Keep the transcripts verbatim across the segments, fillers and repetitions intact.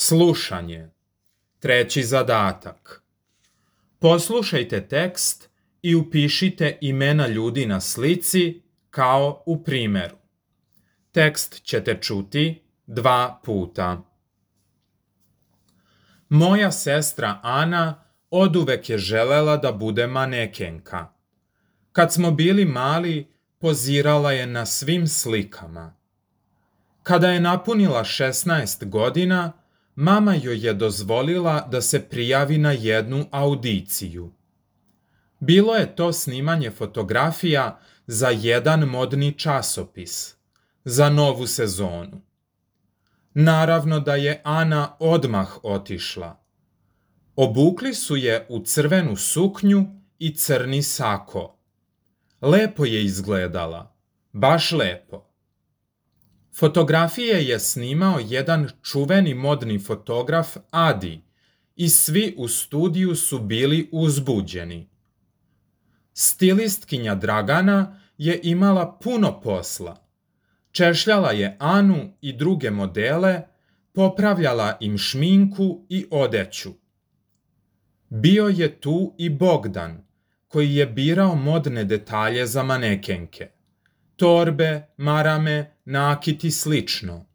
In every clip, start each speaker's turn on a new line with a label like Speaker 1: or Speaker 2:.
Speaker 1: Slušanje. Treći zadatak. Poslušajte tekst i upišite imena ljudi na slici kao u primeru. Tekst ćete čuti dva puta. Moja sestra Ana oduvek je želela da bude manekenka. Kad smo bili mali, pozirala je na svim slikama. Kada je napunila šesnaest godina, mama joj je dozvolila da se prijavi na jednu audiciju. Bilo je to snimanje fotografija za jedan modni časopis, za novu sezonu. Naravno da je Ana odmah otišla. Obukli su je u crvenu suknju i crni sako. Lepo je izgledala, baš lepo. Fotografije je snimao jedan čuveni modni fotograf Adi i svi u studiju su bili uzbuđeni. Stilistkinja Dragana je imala puno posla. Češljala je Anu i druge modele, popravljala im šminku i odeću. Bio je tu i Bogdan, koji je birao modne detalje za manekenke. Torbe, marame, nakit i slično.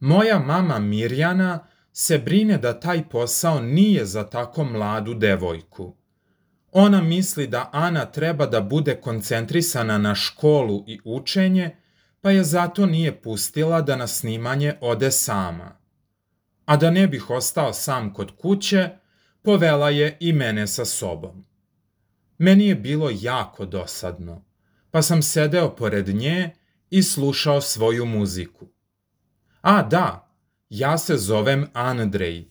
Speaker 1: Moja mama Mirjana se brine da taj posao nije za tako mladu devojku. Ona misli da Ana treba da bude koncentrisana na školu i učenje, pa je zato nije pustila da na snimanje ode sama. A da ne bih ostao sam kod kuće, povela je i mene sa sobom. Meni je bilo jako dosadno, pa sam sedeo pored nje i slušao svoju muziku. A da, ja se zovem Andrej